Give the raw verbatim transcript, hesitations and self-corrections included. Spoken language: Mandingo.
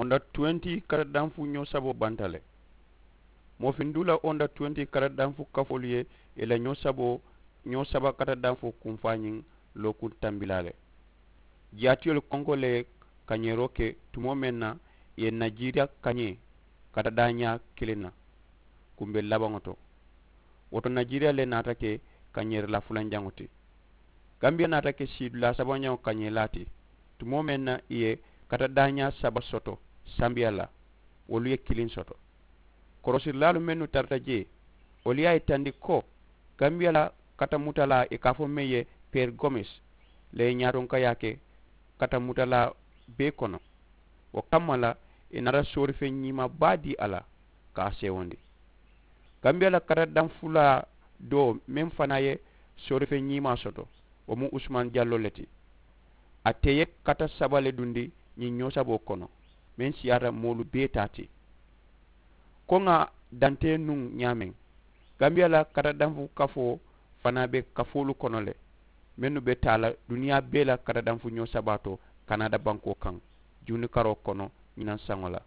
Onda tuwenti kata danfu ñoo saboo banta le. Moo finduu la onda tuwenti kata danfu kafoolu ye i la ñoo saboo ñoo saba kata danfu kunfaa ñiŋ lookuŋ tambilaa le. Jaatiyolu konko le ye kañeeroo ke tumoo meŋ na i ye najiiriya kañee kata daañaa kiliŋ na. Kumbe labaŋo to wo to najiiriya le naata ke kañeeri la fulanjaŋo ti. Gambiya naata ke siidulaa sabañaŋo kañeelaa ti tumoo meŋ na i ye kata daañaa saba soto sambiya la wolu ye kiliŋ soto. Korosirilaalu mennu tarata jee wolu ye a yitandi ko gambiya la kata mutalaa i ka a fo meŋ ye peeri gomes le ye ñaatonkayaa ke kata mutalaa bee kono. Wo kamma la i naata soorifeŋ ñiimaa baa dii a la ka a seewondi. Gambiya la kata danfulaa doo meŋ fanaa ye soorifeŋ ñiimaa soto wo mu usumaani jalloo le ti. A te ye kata saba le dundi ñiŋ ñoo saboo kono meŋ siyaata moolu bee taa ti. Ko ŋà dantee nuŋ ñaameŋ gambiya la kata danfu kafoo fanaa be kafoolu kono le mennu be taa la duniyaa bee la kata danfu ñoo sabaa to kanaada bankoo kaŋ juuni karoo kono ñinaŋ saŋo la.